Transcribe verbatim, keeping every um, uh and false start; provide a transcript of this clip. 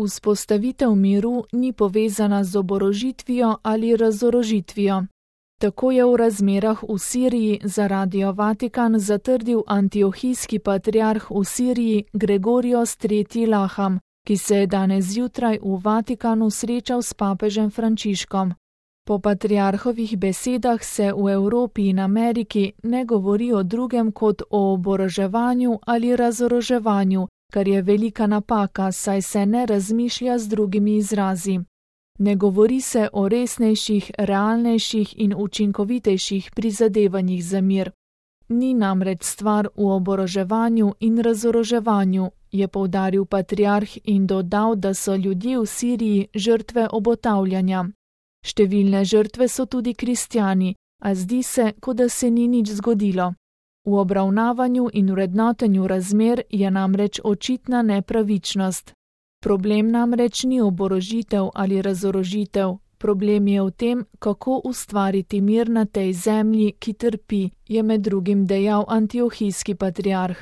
Vzpostavitev miru ni povezana z oborožitvijo ali razorožitvijo. Tako je v razmerah v Siriji za Radio Vatikan zatrdil antiohijski patriarh v Siriji Gregorios tretji Laham, ki se je danes zjutraj v Vatikanu srečal s papežem Frančiškom. Po patriarhovih besedah se v Evropi in Ameriki ne govori o drugem kot o oboroževanju ali razoroževanju, kar je velika napaka, saj se ne razmišlja z drugimi izrazi. Ne govori se o resnejših, realnejših in učinkovitejših prizadevanjih za mir. Ni namreč stvar v oboroževanju in razoroževanju, je poudaril patriarh in dodal, da so ljudje v Siriji žrtve obotavljanja. Številne žrtve so tudi kristjani, a zdi se, kot da se ni nič zgodilo. V obravnavanju in vrednotenju razmer je namreč očitna nepravičnost. Problem namreč ni oborožitev ali razorožitev, problem je v tem, kako ustvariti mir na tej zemlji, ki trpi, je med drugim dejal antiohijski patriarh.